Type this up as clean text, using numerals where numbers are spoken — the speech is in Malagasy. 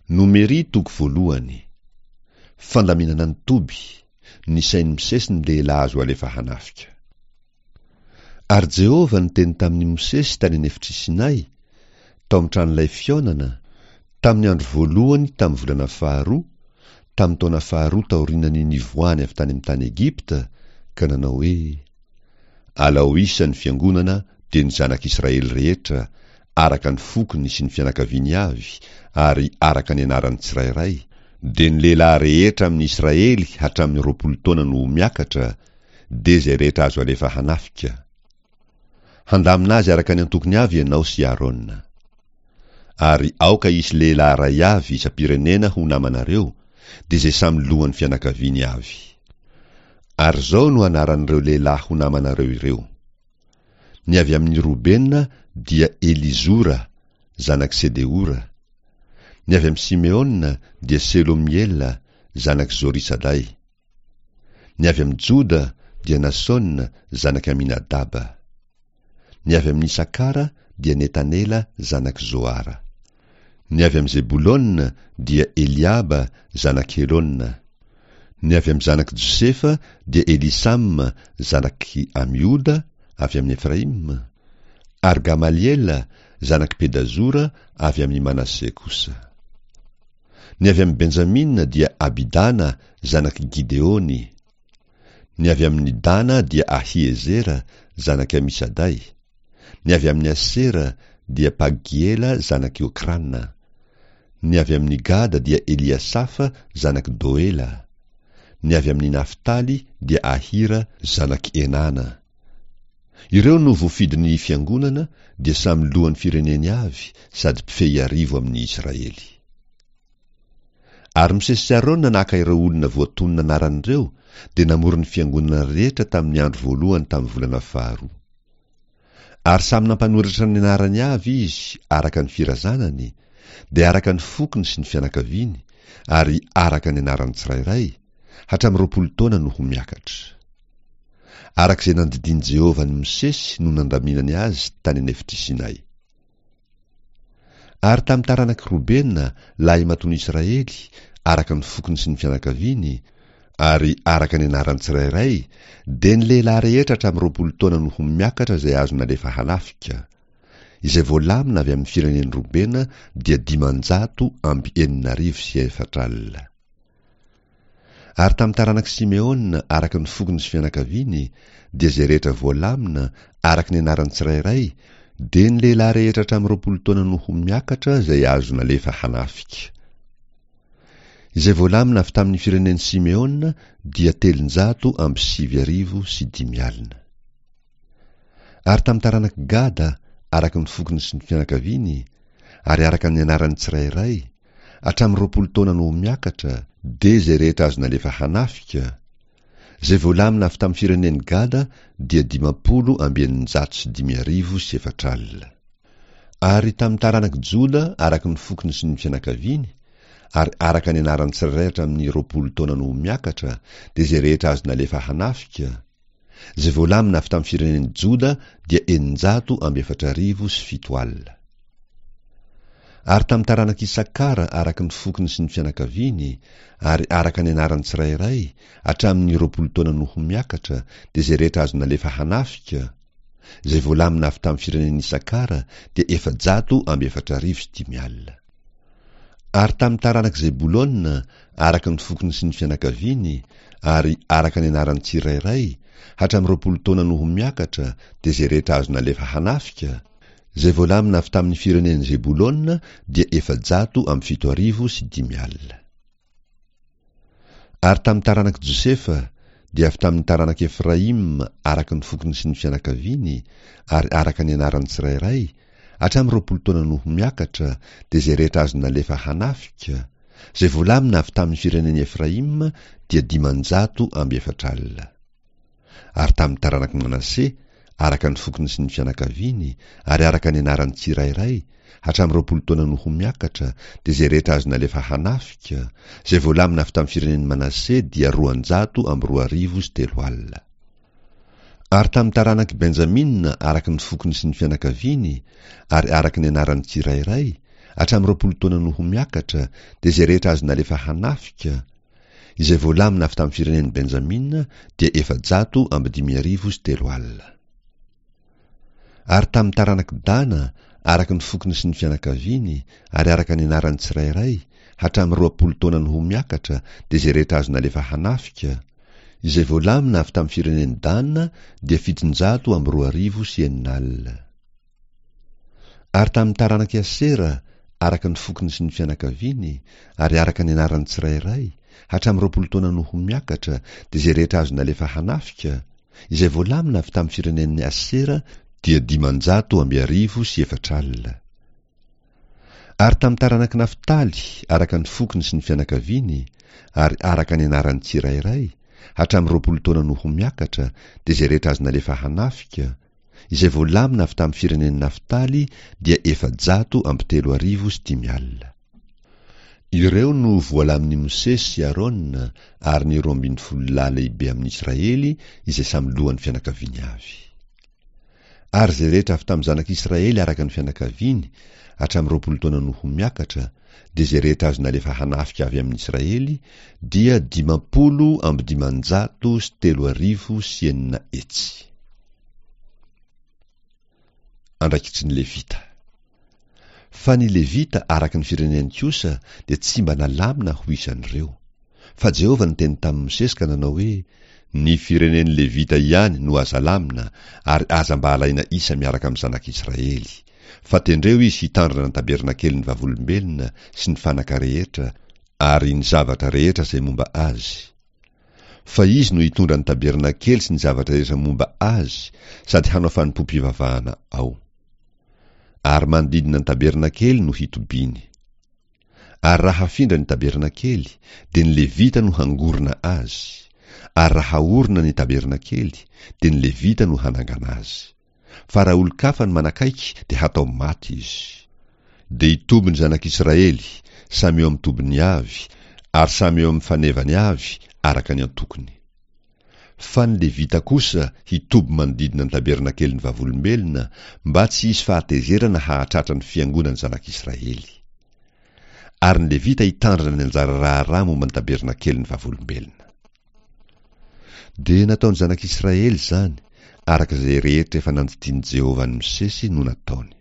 Nomery toko voalohany. Fandaminana ny toby, Nisain'i Mosesy ny lehilahy azo alefa hanafika. Ary Jehovah niteny tamin'i Mosesy tany an'efitr'i Sinay, tao amin'ny tranolay fihaonana, tamin'ny andro voalohany tamin'ny volana faharoa, tamin'ny taona faharoa taorian'ny nivoahany avy tany amin'ny tany Egypta, ka nanao hoe, Alao isa ny fiangonana, dia ny zanak'Israely rehetra, araka ny fokony sy ny fianakaviany avy, ary araka ny anarany tsirairay, dia ny lehilahy rehetra amin'ny Israely hatramin'ny 20 taona no ho miakatra, dia izay rehetra azo alefa hanafika. Handamina azy araka ny antokony avy ianao sy Arona. Ary aoka hisy lehilahy iray avy isam-pirenena ho namanareo, dia izay samy lohan'ny fianakaviany avy. Ary izao no anaran'ireo lehilahy ho namanareo ireo. Ny avy amin'i Robena dia Elizora, zanak'i Sedeora. Ny avy amin'i Simeona dia Selomiela, zanak'i Zorisaday. Ny avy amin'i Joda dia Nasona, zanak'i Aminadaba. Ny avy amin'i Isakara dia Netanela, zanak'i Zoara. Ny avy amin'i Zebolona dia Eliaba, zanak'i Helona. Ny avy amin'ny zanak'i Josefa dia Elisama, zanak'i Amihoda, avy amin'i Efraima, ary Gamaliela, zanak'i Pedazora, avy amin'i Manase kosa. Ny avy amin'i Benjamina dia Abidana, zanak'i Gideony. Ny avy amin'i Dana dia Ahiezera, zanak'i Amisaday. Ny avy amin'i Asera dia Pagiela zanak'i Okrana. Ny avy amin'i Gada dia Eliasafa zanak'i Doela. Ny avy amin'i Naftaly dia Ahira zanak'i Enana. Ireo no voafidin'ny fiangonana dia samy lohan'ny fireneny avy sady mpifehy arivo amin'ny Israely. Ary Mosesy sy Arona naka ireo olona voatonona anarana ireo, dia namory ny fiangonana rehetra tamin'ny andro voalohany tamin'ny volana faharoa. Ary samy nampanoratra ny anarany avy izy araka ny firazanany, dia araka ny fokony sy ny fianakaviany, ary araka ny anarany tsirairay, hatramin'ny 20 taona no ho miakatra. Araka izay nandidian'i Jehovah an'i Mosesy no nandaminany azy tany an'efitr'i Sinay. Ary tamin'ny taranak'i Robena, lahimatoan'i Israely, araka ny fokony sy ny fianakaviany, ary araka ny anarany tsirairay, dia ny lehilahy rehetra hatramin'ny 20 taona no ho miakatra izay azo nalefa hanafika, izay voalamina avy amin'ny firenen'i Robena dia 460. Ary tamin'ny taranak'i Simeona, araka ny fokony sy fianakaviany, dia izay rehetra voalamina, araka ny anarany tsirairay, dia ny lehilahy rehetra hatramin'ny 20 taona no ho miakatra izay azo nalefa hanafika. Izay voalamina avy tamin'ny firenen'i Simeona dia 5009. Ary tamin'ny taranak'i Gada, araka ny fokony sy ny fianakaviany, ary araka ny anarany tsirairay, hatramin'ny 20 taona no ho miakatra, dia izay rehetra azo nalefa hanafika, izay voalamina avy tamin'ny firenen'i Gada dia 450. Ary tamin'ny taranak'i Joda araka ny fokony sy ny fianakaviany, ary araka ny anarany tsirairay hatramin'ny 20 taona no ho miakatra, dia izay rehetra azo nalefa hanafika, izay voalamina avy tamin'ny firenen'i Joda dia 7004. Ary tamin'ny taranak'i Isakara araka ny fokony sy ny fianakaviany, ary araka ny anarany tsirairay, hatramin'ny 20 taona no ho miakatra, dia izay rehetra azo nalefa hanafika, izay voalamina avy tamin'ny firenen'i Isakara dia 450. Ary tamin'ny taranak'i Zebolona, araka ny fokony sy ny fianakaviany, ary araka ny anarany tsirairay, hatramin'ny 20 taona no ho miakatra, dia izay rehetra azo nalefa hanafika, izay voalamina avy tamin'ny firenen'i Zebolona dia 750. Ary tamin'ny taranak'i Josefa, dia avy tamin'ny taranak'i Efraima araka ny fokony sy ny fianakaviany, ary araka ny anarany tsirairay, hatramin'ny 20 taona no ho miakatra, dia izay rehetra azo nalefa hanafika, izay voalamina avy tamin'ny firenen'i Efraima dia 440. Ary tamin'ny taranak'i Manase, araka ny fokony sy ny fianakaviany, ary araka ny anarany tsirairay, hatramin'ny 20 taona no ho miakatra, dia izay rehetra azo nalefa hanafika, izay voalamina avy tamin'ny firenen'i Manase dia 230. Ary tamin'ny taranak'i Benjamina, araka ny fokony sy ny fianakaviany, ary araka ny anarany tsirairay, hatramin'ny 20 taona no ho miakatra, dia izay rehetra azo nalefa hanafika, izay voalamina avy tamin'ny firenen'i Benjamina, dia 3400. Ary tamin'ny taranak'i Dana, araka ny fokony sy ny fianakaviany, ary araka ny anaran'ny tsirairay, hatramin'ny 20 taona no ho miakatra, dia izay rehetra azo nalefa hanafika, izay voalamina avy tamin'ny firenen'i Dana, dia 2600. Ary tamin'ny taranak'i Asera, araka ny fokony sy ny fianakaviany, ary araka ny anaran'ny tsirairay, hatramin'ny 20 taona no ho miakatra, dia izay rehetra azo nalefa hanafika, izay voalamina avy tamin'ny firenen'i Asera, dia 450. Ary tamin'ny taranak'i Naftaly, araka ny fokony sy ny fianakaviany, ary araka ny anaran'ny tsirairay, hatramin'ny 20 taona no ho miakatra, dia izay rehetra azo nalefa hanafika, izay voalamina avy tamin'ny firenen'i Naftaly dia 3400. Ireo no voalamin'i Mosesy sy Arona ary ny 12 lahy lehibe amin'ny Israely izay samy lohan'ny fianakaviany avy. Ary izay rehetra avy tamin'ny zanak'Israely araka ny fianakaviany, hatramin'ny 20 taona no ho miakatra, dia izay rehetra azo nalefa hanafika avy amin'ny Israely, dia 650 600. Andraikitry ny Levita. Fa ny Levita araka ny fireneny kosa dia tsy mba nalamina ho isan'ireo. Fa Jehovah niteny tamin'i Mosesy ka nanao hoe, Ny firenen'ny Levita ihany no aza alamina, ary aza mba alaina isa miaraka amin'ny zanak'Israely. Fa tendreo izy hitandrina ny tabernakelin'ny vavolombelona sy ny fanaka rehetra ary ny zavatra rehetra izay momba azy. Fa izy no hitondra ny tabernakely sy ny zavatra rehetra momba azy sady hanao fanompoam-pivavahana ao. Ary manodidina ny tabernakely no hitobiany. Ary raha hafindra ny tabernakely, dia ny Levita no hangorona azy, ary raha haorina ny tabernakely, dia ny Levita no hanangana azy. Fa raha olon-kafa no manakaiky dia hatao maty izy. Dia hitoby ny zanak'Israely, samy eo amin'ny tobiny avy, ary samy eo amin'ny fanevany avy, araka ny antokony. Fa ny Levita kosa hitoby manodidina ny tabernakelin'ny Vavolombelona, mba tsy hisy fahatezerana hahatratra ny fiangonan'ny zanak'Israely. Ary ny Levita hitandrina ny anjara raharaha momba ny tabernakelin'ny Vavolombelona. Dia nataon'ny zanak'Israely izany, araka izay rehetra efa nandidian'i Jehovah an'i Mosesy no nataony.